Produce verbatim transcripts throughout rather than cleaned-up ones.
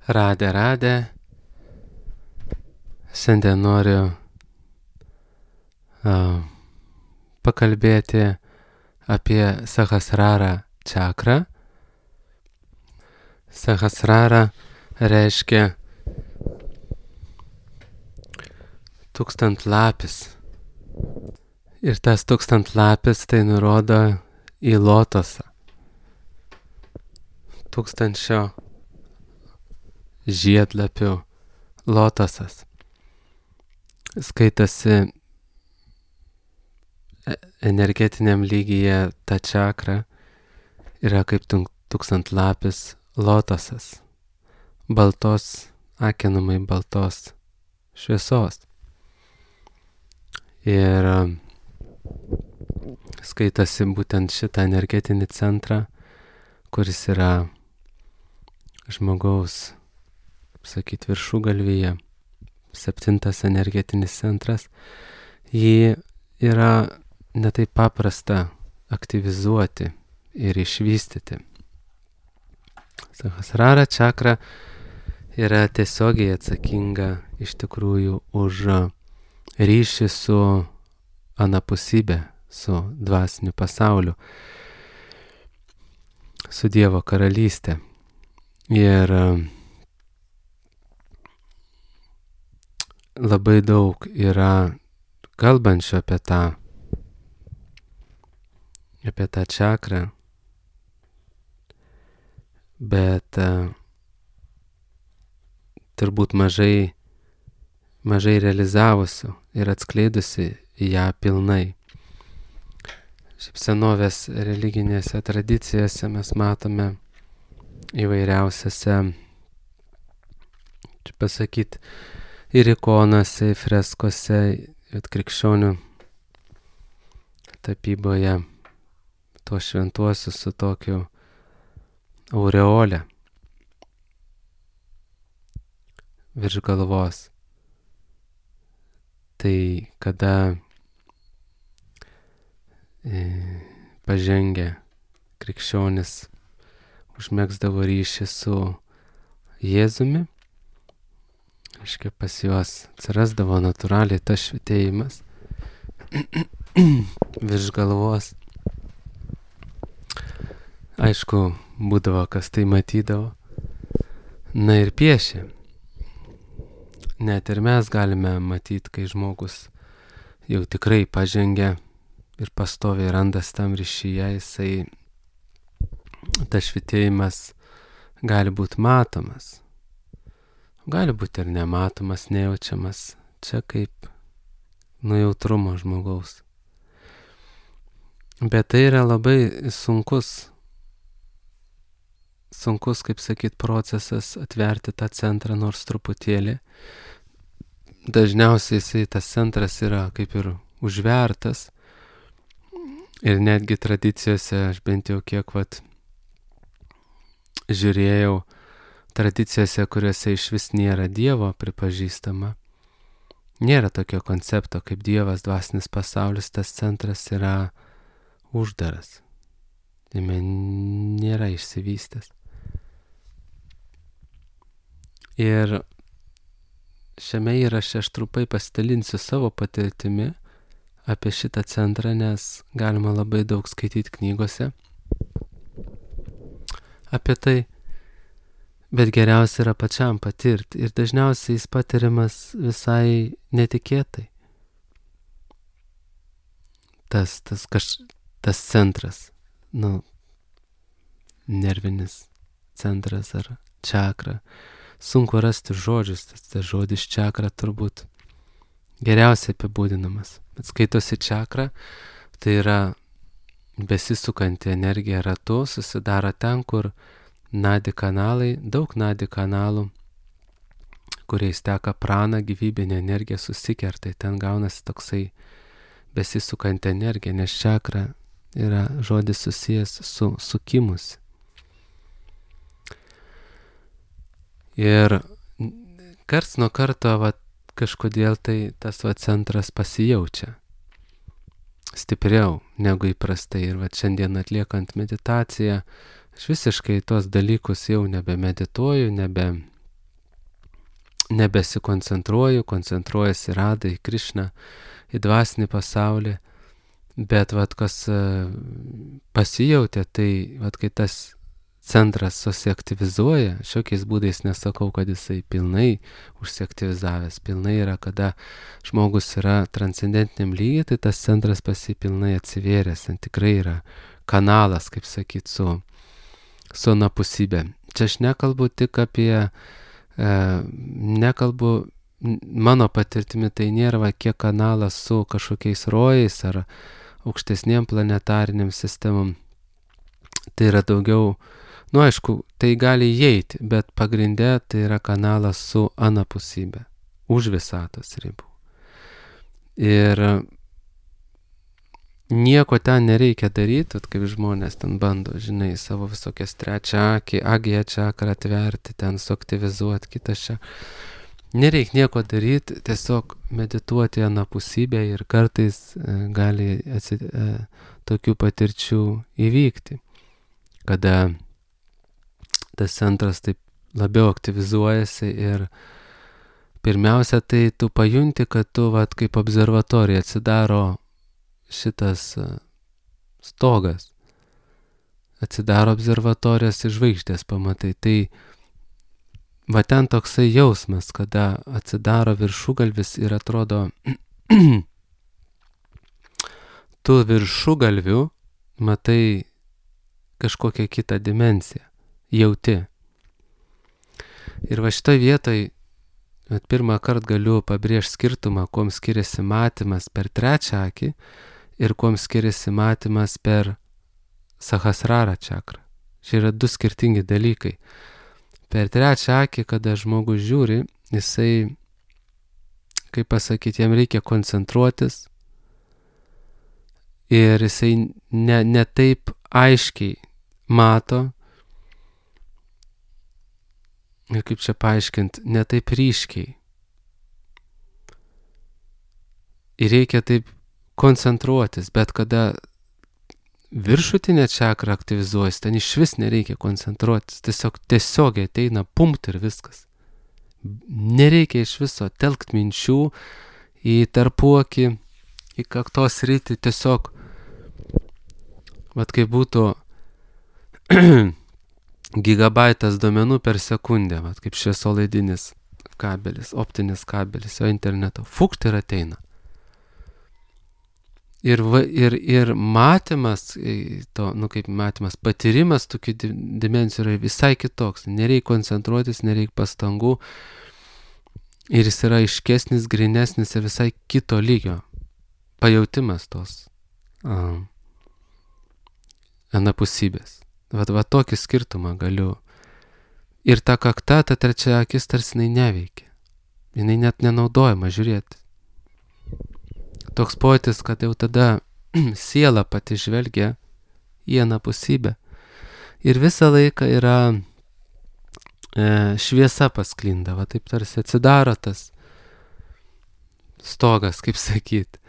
Radę, radę. Šiandien noriu uh, pakalbėti apie Sahasrara čakrą. Sahasrara reiškia tūkstantlapis. Ir tas tūkstantlapis tai nurodo į lotosą. Tūkstančio žiedlapių lotosas. Skaitasi energetiniam lygyje ta čakra yra kaip tūkstantlapis lotosas. Baltos, akinamai baltos šviesos. Ir skaitasi būtent šitą energetinį centrą, kuris yra žmogaus, sakyt, viršugalvyje, septintas energetinis centras. Jį yra netaip paprasta aktyvizuoti ir išvystyti. Sahasrara čakra yra tiesiogiai atsakinga iš tikrųjų už ryšį su anapusybė, su dvasiniu pasauliu, su Dievo karalystė. Ir labai daug yra kalbančių apie tą, apie tą čakrą, bet uh, turbūt mažai, mažai realizavusių ir atskleidusi ją pilnai. Šiaip senovės religinėse tradicijose mes matome įvairiausiose, čia pasakyt, ir ikonose, ir freskose, ir krikščionių tapyboje tuos šventuosius su tokiu aureole virš galvos. Tai kada e, pažengę krikščionis užmegzdavo ryšį su Jėzumi, aiškiai pas juos atsirasdavo natūraliai tas švytėjimas virš galvos. Aišku, būdavo, kas tai matydavo. Na ir piešė. Net ir mes galime matyti, kai žmogus jau tikrai pažengia ir pastoviai randas tam ryšyje, jisai tas švytėjimas gali būti matomas. Gali būti ir nematomas, nejaučiamas. Čia kaip nujautrumo žmogaus. Bet tai yra labai sunkus, sunkus, kaip sakyt, procesas atverti tą centrą nors truputėlį. Dažniausiai jisai, tas centras yra kaip ir užvertas. Ir netgi tradicijose, aš bent jau kiek vat žiūrėjau, tradicijose, kuriuose iš vis nėra Dievo pripažįstama, nėra tokio koncepto kaip Dievas, dvasinis pasaulis, tas centras yra uždaras. Jame nėra išsivystęs. Ir šiame įraše aš trupai pasidalinsiu savo patirtimi apie šitą centrą, nes galima labai daug skaityti knygose apie tai, bet geriausia yra pačiam patirti. Ir dažniausiai jis patiriamas visai netikėtai. Tas, tas, kaž, tas centras, nu, nervinis centras ar čakra. Sunku rasti žodžius, tas, tas žodis čakra turbūt geriausiai apibūdinamas. Bet skaitosi čakra, tai yra besisukanti energija ratu, susidaro ten, kur nadi kanalai, daug nadi kanalų, kuriais teka prana, gyvybinė energija susikerta, ten gaunasi toksai besisukanti energija, nes čakra yra žodis susijęs su sukimus. Ir karts nuo karto va, kažkodėl tai tas va, centras pasijaučia stipriau negu įprastai. Ir va, šiandien atliekant meditaciją, aš visiškai tuos dalykus jau nebemedituoju, nebe, nebesikoncentruoju, koncentruojasi Radha į Krišną, į dvasinį pasaulį, bet vat kas pasijautė, tai vat kai tas centras susiaktyvizuoja, šiokiais būdais nesakau, kad jisai pilnai užsiaktyvizavęs, pilnai yra, kada žmogus yra transcendentiniam lygiai, tai tas centras pasipilnai atsivėręs, ten tikrai yra kanalas, kaip sakyt, su, su anapusybė. Čia aš nekalbu tik apie, e, nekalbu, mano patirtimi tai nėra va, kiek kanalas su kažkokiais rojais ar aukštesniem planetariniam sistemom, tai yra daugiau. Nu, aišku, tai gali įeiti, bet pagrindė tai yra kanalas su anapusybė, už visatos ribų. Ir nieko ten nereikia daryti, kaip žmonės ten bando, žinai, savo visokias trečią akį, agija čakrą atverti, ten suaktyvizuoti kitą šią. Nereikia nieko daryti, tiesiog medituoti anapusybę ir kartais e, gali atsit, e, tokių patirčių įvykti, kada tas centras taip labiau aktyvizuojasi ir pirmiausia, tai tu pajunti, kad tu, vat, kaip observatorija atsidaro šitas stogas, atsidaro observatorijos ir žvaigždės pamatai. Tai va ten toksai jausmas, kada atsidaro viršugalvis ir atrodo, tu viršugalviu matai kažkokią kitą dimensiją. Jauti. Ir va šitoj vietoj pirmą kartą galiu pabrėžti skirtumą, kuom skiriasi matymas per trečią akį ir kuom skiriasi matymas per sahasrara čakrą. Čia yra du skirtingi dalykai. Per trečią akį, kada žmogus žiūri, jisai, kaip pasakyti, jam reikia koncentruotis ir jisai ne, ne taip aiškiai mato, ir kaip čia paaiškinti, ne taip ryškiai. Ir reikia taip koncentruotis, bet kada viršutinė čakra aktyvizuojasi, ten iš vis nereikia koncentruotis, tiesiog tiesiogiai ateina pumpt ir viskas. Nereikia iš viso telkt minčių į tarpuakį, į kaktos sritį, tiesiog, vat kaip būtų gigabaitas duomenų per sekundę, vat, kaip šviesolaidinis kabelis, optinis kabelis, jo interneto. Fukt ir ateina. Ir, va, ir, ir matymas, to, nu kaip matymas, patyrimas tokių dimensijų yra visai kitoks. Nereikia koncentruotis, nereikia pastangų. Ir jis yra aiškesnis, grinesnis ir visai kito lygio. Pajautimas tos um, anapusybės. Va, va tokį skirtumą galiu. Ir ta kakta, ta trečia akis tarsi jinai neveikia. Jinai net nenaudojama žiūrėti. Toks pojūtis, kad jau tada siela pati žvelgia į anapusybę. Ir visą laiką yra e, šviesa pasklinda, va taip tarsi atsidaro tas stogas, kaip sakyt.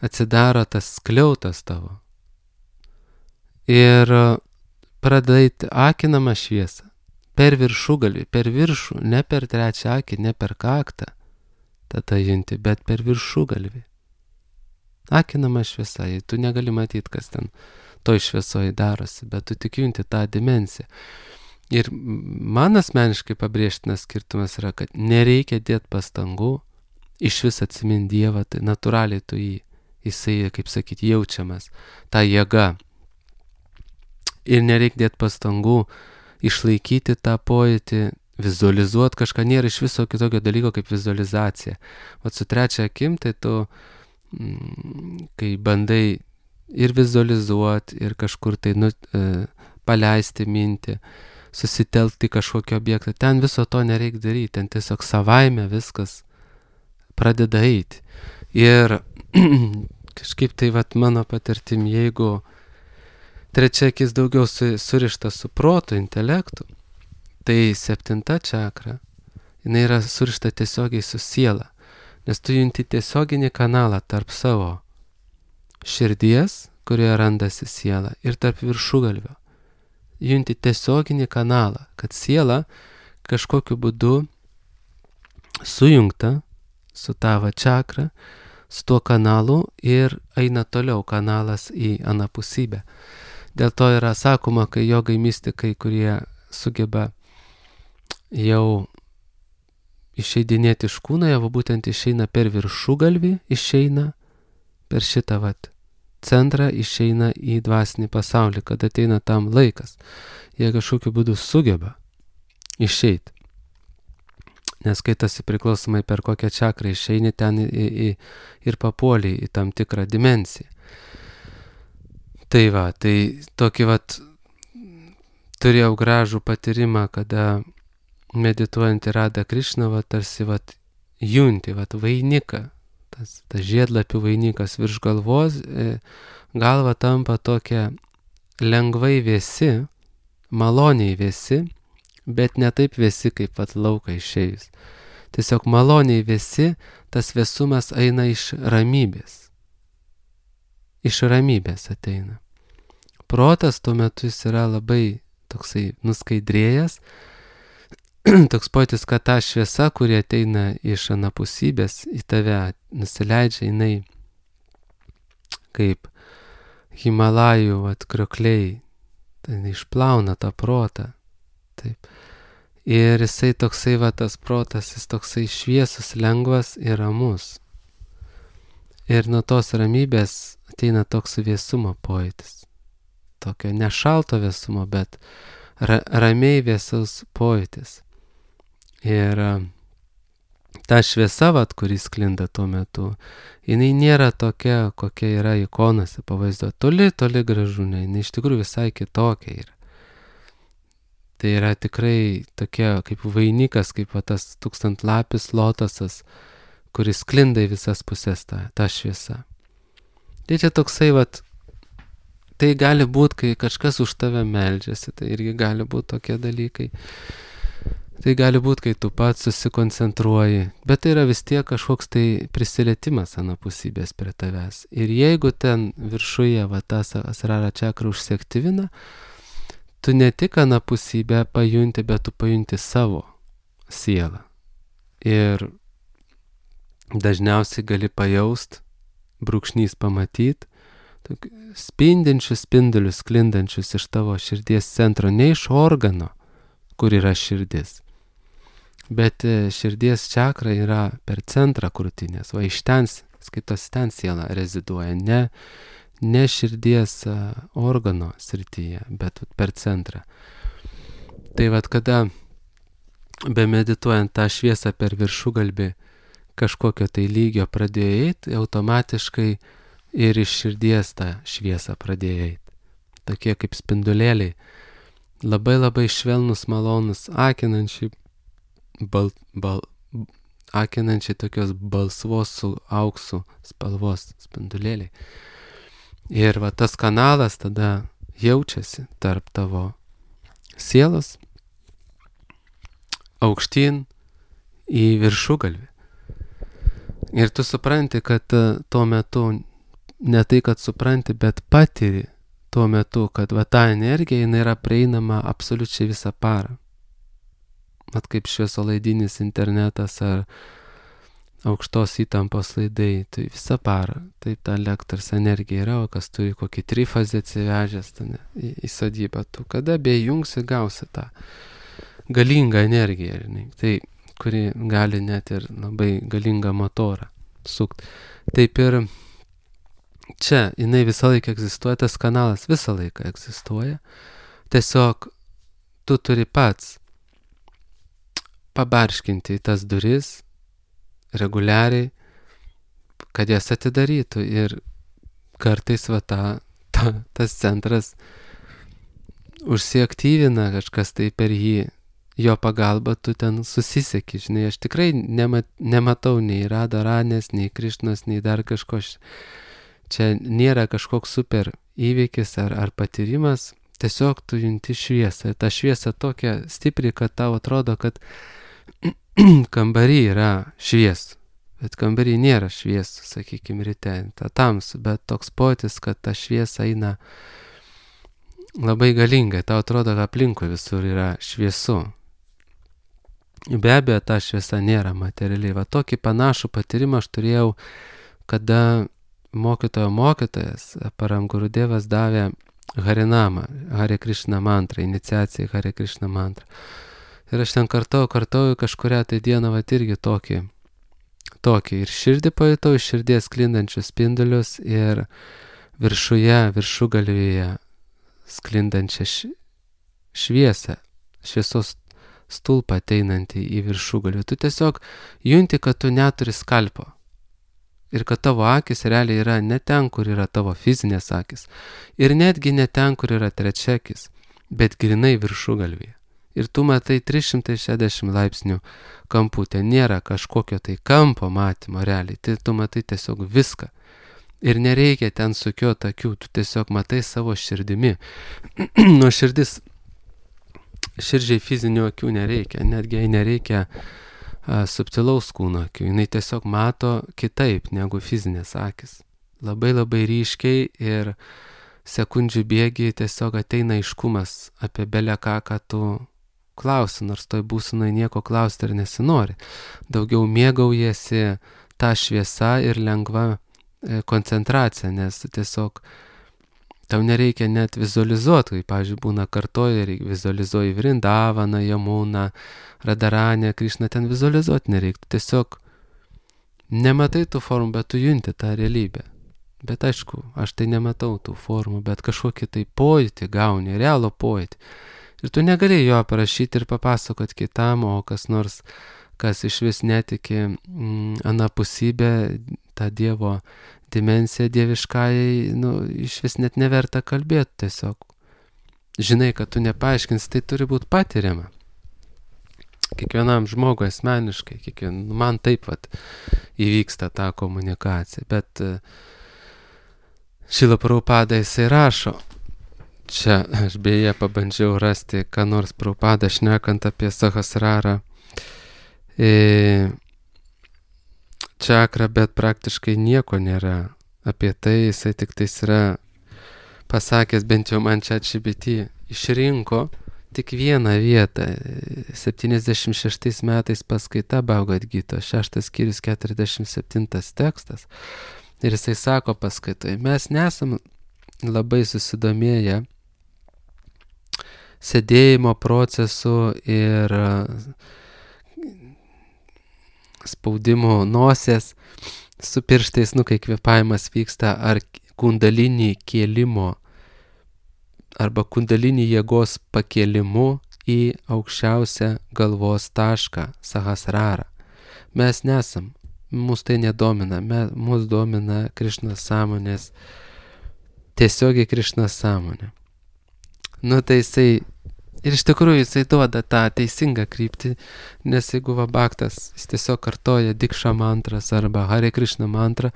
Atsidaro tas skliautas tavo. Ir pradait akinamą šviesą per viršugalvį, per viršų, ne per trečią akį, ne per kaktą, tada junti, bet per viršugalvį. Akinama šviesa, tu negali matyti, kas ten toj šviesoje darosi, bet tu tik junti tą dimensiją. Ir man asmeniškai pabrėžtinas skirtumas yra, kad nereikia dėti pastangų, iš vis atsiminti Dievą, tai natūraliai tu jį, jisai, kaip sakyti, jaučiamas, ta jėga. Ir nereikia dėti pastangų išlaikyti tą pojūtį, vizualizuoti kažką, nėra iš viso kitokio dalyko kaip vizualizacija. O su trečia akim, tai tu, mm, kai bandai ir vizualizuoti, ir kažkur tai nu, e, paleisti mintį, susitelkti kažkokį objektą, ten viso to nereikia daryti, ten tiesiog savaime viskas pradeda eiti. Ir kažkaip tai vat mano patirtim, jeigu trečia akis daugiau su, surišta su protu, intelektu, tai septinta čakra, jinai yra surišta tiesiogiai su siela, nes tu junti tiesioginį kanalą tarp savo širdies, kurioje randasi siela, ir tarp viršugalvio. Junti tiesioginį kanalą, kad siela kažkokiu būdu sujungta su tavo čakra, su tuo kanalu ir eina toliau kanalas į anapusybę. Dėl to yra sakoma, kai jogai mistikai, kurie sugeba jau išeidinėti iš kūno, jie būtent išeina per viršugalvį, išeina per šitą vat centrą, išeina į dvasinį pasaulį, kad ateina tam laikas. Jie kažkokiu būdu sugeba išeiti. Nes skaitasi priklausomai per kokią čakrą išeini ten į, į, ir papuoli į tam tikrą dimensiją. Tai va, tai tokį vat turėjau gražų patyrimą, kada medituojant į Radą Krišną, va tarsi vat junti, vat vainiką, tas, tas žiedlapių vainikas virš galvos, e, galva tampa tokia lengvai vėsi, maloniai vėsi, bet ne taip vėsi, kaip vat lauką išėjus. Tiesiog maloniai vėsi, tas vėsumas eina iš ramybės. Iš ramybės ateina. Protas tuo metu jis yra labai toksai nuskaidrėjęs, toks pojūtis, kad ta šviesa, kuri ateina iš anapusybės į tave, nusileidžia, jinai kaip Himalajų atkriokliai, tai jinai išplauna tą protą. Taip. Ir jisai toksai, va, tas protas, jis toksai šviesus, lengvas ir ramus. Ir nuo tos ramybės ateina toks vėsumo pojūtis. Tokio ne šalto vėsumo, bet ra ramiai vėsaus pojūtis. Ir ta šviesa, vat, kuris sklinda tuo metu, jinai nėra tokia, kokia yra ikonose pavaizduota. Toli, toli gražu, ne, jinai iš tikrųjų visai kitokia yra. Tai yra tikrai tokia kaip vainikas, kaip va, tas tūkstantlapis lotosas, kuris sklinda į visas pusės tą, tą šviesą. Tai čia toksai, vat, tai gali būti, kai kažkas už tave meldžiasi, tai irgi gali būti tokie dalykai. Tai gali būti, kai tu pats susikoncentruoji, bet tai yra vis tiek kažkoks tai prisilietimas anapusybės prie tavęs. Ir jeigu ten viršuje va, tas asrara čakra užsiaktyvina, tu ne tik anapusybę pajunti, bet tu pajunti savo sielą. Ir dažniausiai gali pajaust, brūkšnys pamatyt, spindinčius spindulius sklindančius iš tavo širdies centro, ne iš organo, kur yra širdis. Bet širdies čakra yra per centrą krūtinės, va iš ten, skaitos ten siela reziduoja, ne, ne širdies organo srityje, bet per centrą. Tai vat kada bemedituojant tą šviesą per viršugalbį kažkokio tai lygio pradėjo eiti, automatiškai ir iš širdies tą šviesą pradėjo eiti. Tokie kaip spindulėliai, labai labai švelnus, malonus, akinančiai, bal, bal, akinančiai tokios balsvos su auksu spalvos spindulėliai. Ir va tas kanalas tada jaučiasi tarp tavo sielos aukštyn į viršugalvį. Ir tu supranti, kad tuo metu, ne tai, kad supranti, bet patiri tuo metu, kad va ta energija, jinai yra prieinama absoliučiai visą parą. Mat kaip šviesolaidinis internetas ar aukštos įtampos laidai, tai visą parą. Taip ta elektros energija yra, o kas turi kokį trifazę atsivežęs ten, į, į sodybą, tu kada bejungsi, gausi tą galingą energiją, žinai. Tai kuri gali net ir labai galingą motorą sukti. Taip ir čia jinai visą laiką egzistuoja, tas kanalas visą laiką egzistuoja. Tiesiog tu turi pats pabarškinti į tas duris reguliariai, kad jas atidarytų. Ir kartais va ta, ta, tas centras užsiaktyvina, kažkas tai per jį, jo pagalba tu ten susisieki, žinai, aš tikrai nemat, nematau nei Radharanės, nei Krišnos, nei dar kažko. Čia nėra kažkoks super įvykis ar, ar patyrimas, tiesiog tu junti šviesą. Ta šviesa tokia stipri, kad tau atrodo, kad kambarį yra šviesų, bet kambarį nėra šviesų, sakykime, ryte, ta tamsu, bet toks pojūtis, kad ta šviesa eina labai galingai, tau atrodo, kad aplinkui visur yra šviesu. Be abejo, ta šviesa nėra materialiai. Va tokį panašų patyrimą aš turėjau, kada mokytojo mokytojas, Param Gurudevas, davė Harinamą, Hare Krishna mantrą, iniciaciją į Hare Krishna mantrą. Ir aš ten kartau, kartau kažkurią tai dieną, va irgi tokį, tokį. Ir širdį pajutau, iš širdies sklindančius spindulius ir viršuje, viršugalvyje sklindančią šviesą, šviesos stulpą ateinantį į viršugalvį. Tu tiesiog junti, kad tu neturi skalpo. Ir kad tavo akis realiai yra ne ten, kur yra tavo fizinės akis. Ir netgi ne ten, kur yra trečiakis, bet grinai viršugalvyje. Ir tu matai trys šimtai šešiasdešimt laipsnių kampų. Ten nėra kažkokio tai kampo matymo realiai. Tai tu matai tiesiog viską. Ir nereikia ten sukioti akių. Tu tiesiog matai savo širdimi. Nuo širdis Širdžiai fizinių akių nereikia, netgi jai nereikia a, subtilaus kūno akių, jinai tiesiog mato kitaip negu fizinės akis. Labai labai ryškiai ir sekundžių bėgiai tiesiog ateina aiškumas apie belę ką, ką tu klausi, nors toj būsenoj nieko klausti ir nesinori. Daugiau mėgaujasi tą šviesą ir lengva e, koncentracija, nes tiesiog tau nereikia net vizualizuoti, kai, pavyzdžiui, būna kartoja ir vizualizuoji Vrindavaną, Jamuną, Radaranę, Krišną, ten vizualizuoti nereiktų. Tiesiog nematai tų formų, bet tu junti tą realybę. Bet aišku, aš tai nematau tų formų, bet kažkokį tai pojūtį gauni, realų pojūtį. Ir tu negali jo parašyti ir papasakoti kitam, o kas nors, kas iš vis netiki mm, anapusybę, tą Dievo dimensiją dieviškajai, nu, iš vis net neverta kalbėti tiesiog. Žinai, kad tu nepaaiškins, tai turi būti patiriama. Kiekvienam žmogui asmeniškai, kiekvien, man taip vat įvyksta ta komunikacija, bet Šrila Prabhupada jisai rašo, čia aš beje pabandžiau rasti, ką nors Prabhupada šnekant apie Sahasrarą e, čakrą, bet praktiškai nieko nėra apie tai, jisai tik tais yra pasakęs, bent jau man čia G B T išrinko tik vieną vietą, septyniasdešimt šeštais metais paskaita Bhagavad Gita, šeštas skyrius keturiasdešimt septintas tekstas, ir jisai sako paskaitoje, mes nesam labai susidomėję sėdėjimo procesu ir spaudimo nosies su pirštais, nu, kai kvėpavimas vyksta, ar kundalinį kėlimo, arba kundalinį jėgos pakėlimu į aukščiausią galvos tašką, Sahasrarą. Mes nesam, mus tai nedomina, mus domina Krišnos sąmonės, tiesiogiai Krišnos sąmonė. Nu, tai jisai, ir iš tikrųjų jisai duoda tą teisingą kryptį, nes jeigu va bhaktas, jis tiesiog kartoja Diksha mantras arba Hare Krishna mantrą,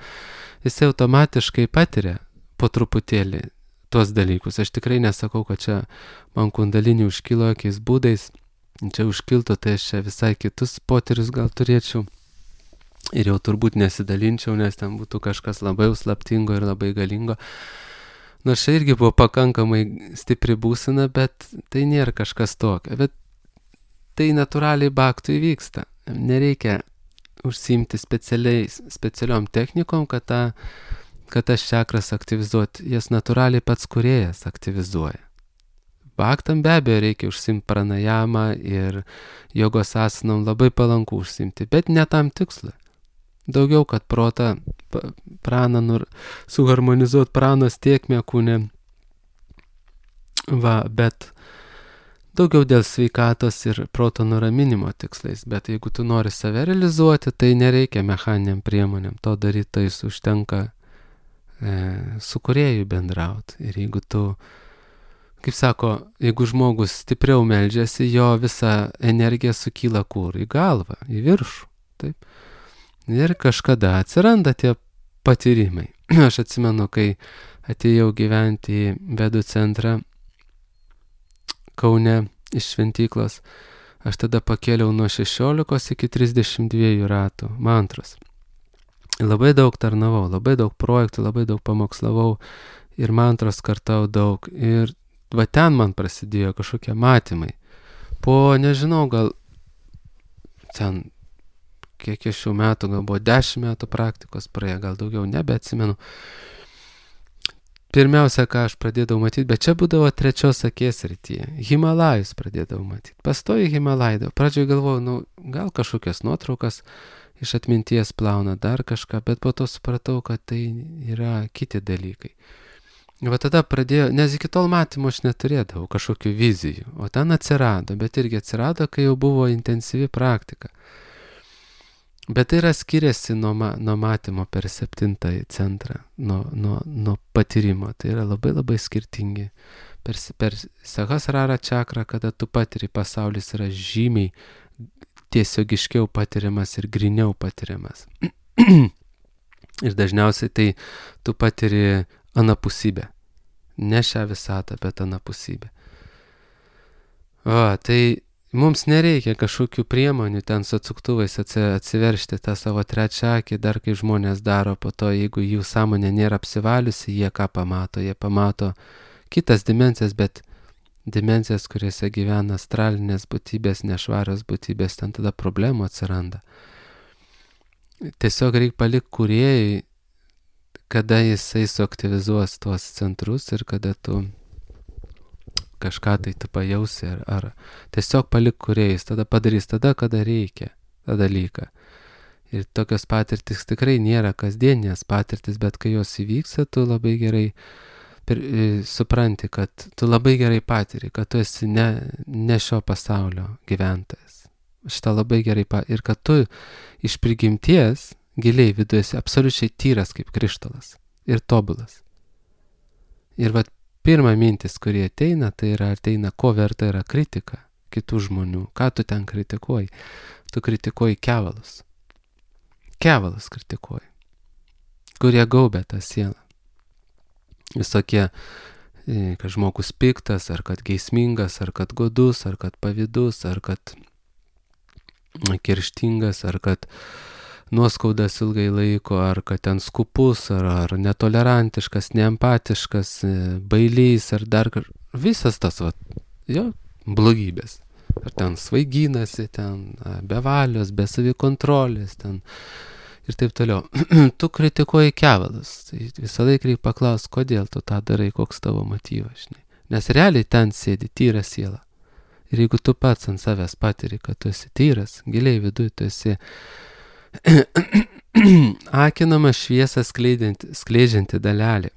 jisai automatiškai patiria po truputėlį tuos dalykus. Aš tikrai nesakau, kad čia man kundalinį užkilo jokiais būdais, čia užkiltų, tai aš čia visai kitus potyrius gal turėčiau ir jau turbūt nesidalinčiau, nes ten būtų kažkas labai slaptingo ir labai galingo. Nors čia irgi buvo pakankamai stipri būsena, bet tai nėra kažkas tokio. Bet tai natūraliai bhaktui vyksta. Nereikia užsiimti specialiom technikom, kad, ta, kad tas čakras aktyvizuoti. Jas natūraliai pats kūrėjas aktyvizuoja. Bhaktam be abejo reikia užsiimti pranajamą ir jogos asanom labai palanku užsiimti, bet ne tam tikslui. Daugiau, kad protą, praną, nur, suharmonizuot pranos tiekmę kūne. Va, bet daugiau dėl sveikatos ir proto nuraminimo tikslais. Bet jeigu tu nori save realizuoti, tai nereikia mechaniniam priemonėm. To daryti tai užtenka e, su kūrėju bendrauti. Ir jeigu tu, kaip sako, jeigu žmogus stipriau meldžiasi, jo visa energija sukyla kur? Į galvą, į viršų. Taip. Ir kažkada atsiranda tie patyrimai. Aš atsimenu, kai atėjau gyventi į Vedų centrą Kaune iš šventyklos, aš tada pakėliau nuo šešiolikos iki trisdešimt dviejų ratų mantros. Labai daug tarnavau, labai daug projektų, labai daug pamokslavau ir mantros kartau daug. Ir va ten man prasidėjo kažkokie matymai. Po, nežinau, gal ten, kiek iš šių metų, gal buvo dešimt metų praktikos praėję, gal daugiau, nebeatsimenu. Pirmiausia, ką aš pradėdavau matyti, bet čia būdavo trečios akies rytyje. Himalajus pradėdavau matyti. Pastoji Himalajų. Pradžioje galvojau, nu, gal kažkokias nuotraukas iš atminties plauna, dar kažką, bet po to supratau, kad tai yra kiti dalykai. Va tada pradėjo, nes iki tol matymo aš neturėdavau kažkokių vizijų, o ten atsirado, bet irgi atsirado, kai jau buvo intensyvi praktika. Bet tai yra skiriasi nuo, ma, nuo matymo per septintąjį centrą, nuo, nuo, nuo patyrimo. Tai yra labai labai skirtingi. Per, per Sahasrara čakrą, kada tu patiri, pasaulis yra žymiai tiesiogiškiau patiriamas ir griniau patiriamas. Ir dažniausiai tai tu patiri anapusybę. Ne šią visatą, bet anapusybę. O, tai mums nereikia kažkokių priemonių ten su atsuktuvais atsiveršti tą savo trečią akį, dar kai žmonės daro po to, jeigu jų sąmonė nėra apsivaliusi, jie ką pamato? Jie pamato kitas dimensijas, bet dimensijas, kuriuose gyvena astralinės būtybės, nešvarios būtybės, ten tada problemų atsiranda. Tiesiog reikia palikti kūrėjai, kada jisai suaktyvizuos tuos centrus ir kada tu kažką tai tu pajausi, ar, ar tiesiog palik kūrėjais, tada padarys tada, kada reikia tą dalyką. Ir tokios patirtis tikrai nėra kasdienės patirtis, bet kai jos įvyksta, tu labai gerai per, supranti, kad tu labai gerai patiri, kad tu esi ne, ne šio pasaulio gyventojas. Šitą labai gerai patiri. Ir kad tu iš prigimties giliai viduje esi absoliučiai tyras kaip krištolas ir tobulas. Ir vat pirma mintis, kurie ateina, tai yra ateina, ko verta yra kritika kitų žmonių. Ką tu ten kritikuoji? Tu kritikuoji kevalus. Kevalus kritikuoji, kurie gaubia tą sielą. Visokie, kad žmogus piktas, ar kad geismingas, ar kad godus, ar kad pavydus, ar kad kerštingas, ar kad nuoskaudas ilgai laiko, ar kad ten skupus, ar, ar netolerantiškas, neempatiškas, bailys, ar dar kažkas. Visas tas, va, jo, blogybės. Ar ten svaiginasi, ten bevalios, be savikontrolės, ten ir taip toliau. Tu kritikuoji kevalus. Tai visą laiką reikia paklausti, kodėl tu tą darai, koks tavo motyvas, žinai. Nes realiai ten sėdi tyra siela. Ir jeigu tu pats ant savęs patiri, kad tu esi tyras, giliai viduje tu esi akinama šviesą skleidžianti, skleidžianti dalelė,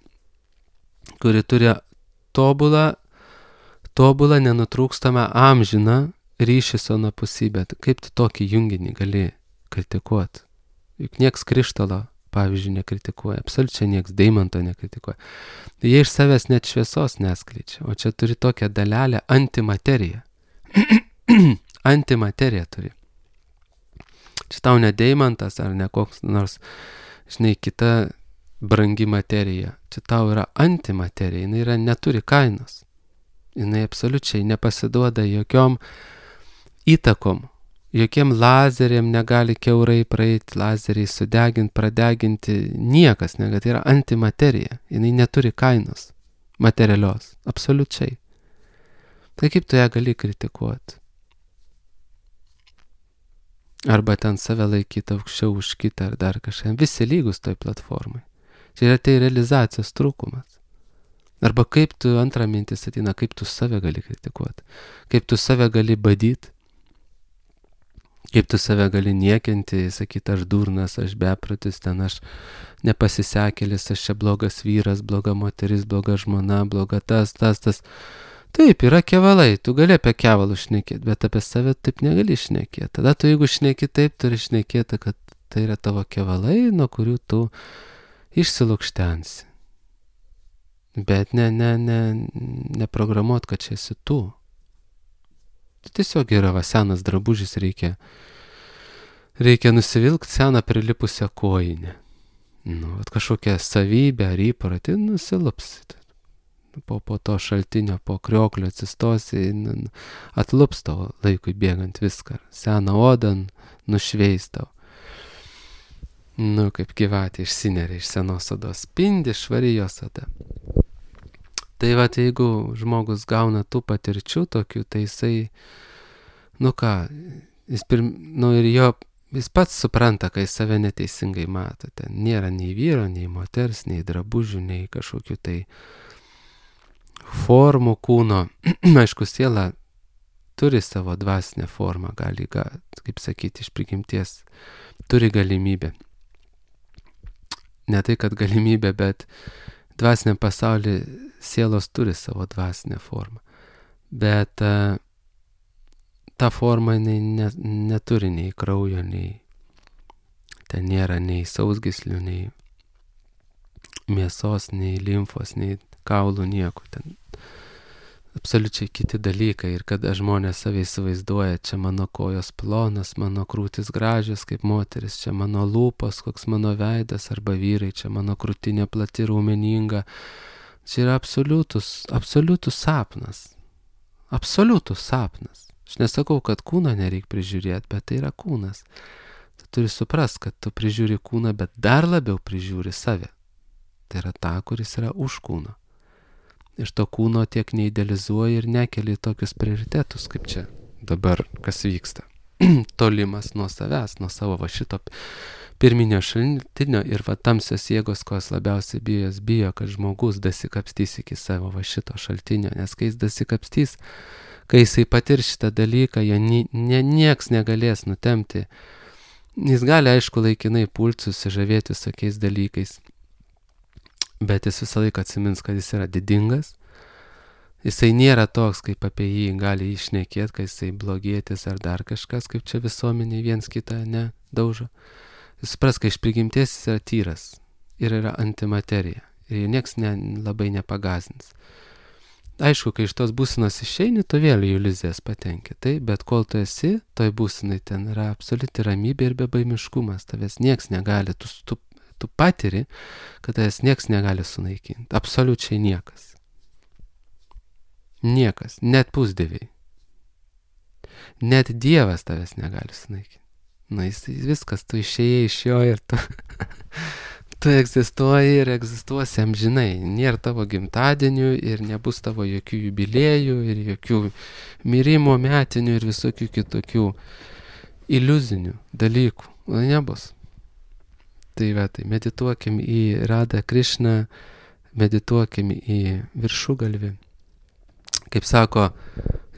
kuri turi tobulą, tobulą nenutrūkstamą amžiną ryšį su anapusybė. Kaip tu tokį junginį gali kritikuoti? Juk nieks krištolo, pavyzdžiui, nekritikuoja, absoliučiai nieks deimanto nekritikuoja. Jie iš savęs net šviesos neskleidžia, o čia turi tokią dalelę antimateriją. Antimateriją turi. Čia tau ne deimantas ar ne koks nors, žinai, kita brangi materija. Čia tau yra antimaterija, jinai yra, neturi kainos. Jinai absoliučiai nepasiduoda jokiom įtakom, jokiem lazeriam negali kiaurai praeiti, lazeriai sudeginti, pradeginti, niekas negali. Tai yra antimaterija, jinai neturi kainos materialios, absoliučiai. Tai kaip tu ją gali kritikuoti? Arba ten save laikyti aukščiau už kitą ar dar kažką. Visi lygus toj platformai. Čia yra tai realizacijos trūkumas. Arba kaip tu, antra mintis ateina, kaip tu save gali kritikuoti. Kaip tu save gali badyti. Kaip tu save gali niekinti, sakyti, aš durnas, aš beprotis, ten aš nepasisekėlis, aš čia blogas vyras, bloga moteris, bloga žmona, bloga tas, tas, tas. Taip, yra kevalai, tu gali apie kevalų šnekėti, bet apie save taip negali šnekėti. Tada tu, jeigu šneki taip, turi šnekėti, kad tai yra tavo kevalai, nuo kurių tu išsilukštensi. Bet ne, ne, ne, neprogramuot, kad čia esi tu. Tai tiesiog yra, va, senas drabužis, reikia, reikia nusivilkti seną prilipusią kojinę. Nu, vat kažkokią savybę ar įprotį, nusilupsi. Po, po to šaltinio, po krioklio atsistosi, atlups tavo laikui bėgant viską. Seną odą nušveis tau. Nu, kaip gyvatė išsineria iš senos odos. Spindi švari jos oda. Tai va, jeigu žmogus gauna tų patirčių tokių, tai jisai, nu ką, jis, pirm, nu, ir jo, jis pats supranta, kai save neteisingai mato. Ten nėra nei vyro, nei moters, nei drabužių, nei kažkokių tai formų kūno. Aišku, siela turi savo dvasinę formą, gali, kaip sakyti, iš prigimties turi galimybę. Ne tai, kad galimybė, bet dvasiniam pasaulyje sielos turi savo dvasinę formą. Bet uh, ta forma ne, ne, neturi nei kraujo, nei ten nėra nei sausgyslių, nei mėsos, nei limfos, nei kaulų, nieko. Ten absoliučiai kiti dalykai. Ir kada žmonės save įsivaizduoja, čia mano kojos plonas, mano krūtis gražios kaip moteris, čia mano lūpos, koks mano veidas, arba vyrai, čia mano krūtinė plati raumeninga. Čia yra absoliutus, absoliutus sapnas. Absoliutus sapnas. Aš nesakau, kad kūną nereikia prižiūrėti, bet tai yra kūnas. Tu turi suprast, kad tu prižiūri kūną, bet dar labiau prižiūri save. Tai yra ta, kuris yra už kūno. Iš to kūno tiek neidealizuoji ir nekeli tokius prioritetus, kaip čia dabar, kas vyksta. Tolimas nuo savęs, nuo savo va šito pirminio šaltinio ir va tamsios jėgos, ko jis labiausiai bijo, jis bijo, kad žmogus dasikapstys iki savo va šito šaltinio, nes kai jis dasikapstys, kai jisai patir šitą dalyką, jo nie, nie, nieks negalės nutemti. Jis gali, aišku, laikinai pulti, susižavėti visokiais dalykais, bet jis visą laiką atsimins, kad jis yra didingas. Jisai nėra toks, kaip apie jį gali išnekėti, kad jisai blogėtis ar dar kažkas, kaip čia visuomeniai viens kitą nedaužo. Jis supras, kad iš prigimties jis yra tyras ir yra antimaterija. Ir nieks ne, labai nepagazins. Aišku, kai iš tos būsenos išeini, tu vėl į iliuzijas patenki. Tai, bet kol tu esi, toj būsenai ten yra absoliuti ramybė ir bebaimiškumas. Tavęs nieks negali, tu, tu tu patiri, kad tavęs nieks negali sunaikinti. Absoliučiai niekas. Niekas. Net pusdieviai. Net Dievas tavęs negali sunaikinti. Na, jis viskas, tu išėjai iš jo ir tu, tu egzistuoji ir egzistuosi amžinai. Nėra tavo gimtadienių ir nebus tavo jokių jubiliejų ir jokių mirimo metinių ir visokių kitokių iliuzinių dalykų. Na, nebus. Tai va, tai medituokim į Radą Krišną, medituokim į viršugalvį. Kaip sako,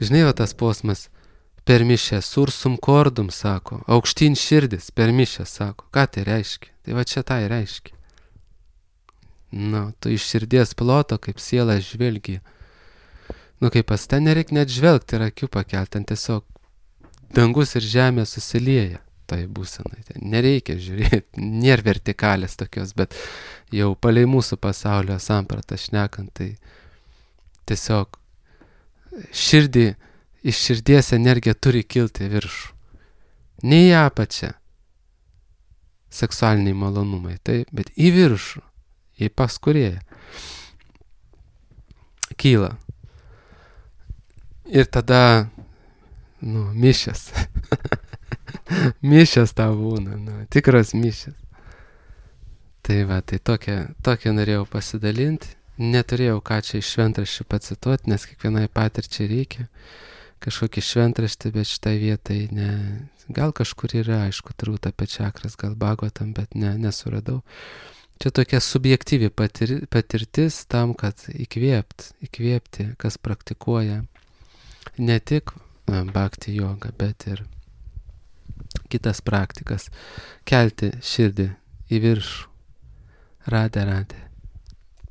žinai, va tas posmas, per mišę sursum kordum, sako, aukštyn širdis, per mišę, sako. Ką tai reiškia? Tai va čia tai reiškia. Nu, tu iš širdies ploto, kaip siela žvelgi. Nu, kaip pas ten nereik net žvelgti ir akių pakelti, ten tiesiog dangus ir žemė susilieja. Tai būsenai. Nereikia žiūrėti, nėra vertikalės tokios, bet jau palei mūsų pasaulio sampratą šnekant, tai tiesiog širdį, iš širdies energija turi kilti viršų. Ne į apačią seksualiniai malonumai, taip, bet į viršų, į paskurėją. Kyla. Ir tada, nu, mišęs. Mišęs tau būna, nu, tikras mišęs. Tai va, tai tokia, tokia norėjau pasidalinti. Neturėjau ką čia iš šventraščių pacituoti, nes kiekvienai patirčiai reikia kažkokį šventraštį, bet šitai vietai ne. Gal kažkur yra, aišku, turbūt apie čakras, gal Bhagavatam, bet ne, nesuradau. Čia tokia subjektyvi patir, patirtis tam, kad įkvėpt, įkvėpti, kas praktikuoja ne tik bhakti jogą, bet ir kitas praktikas, kelti širdį į viršų. Radė, radė.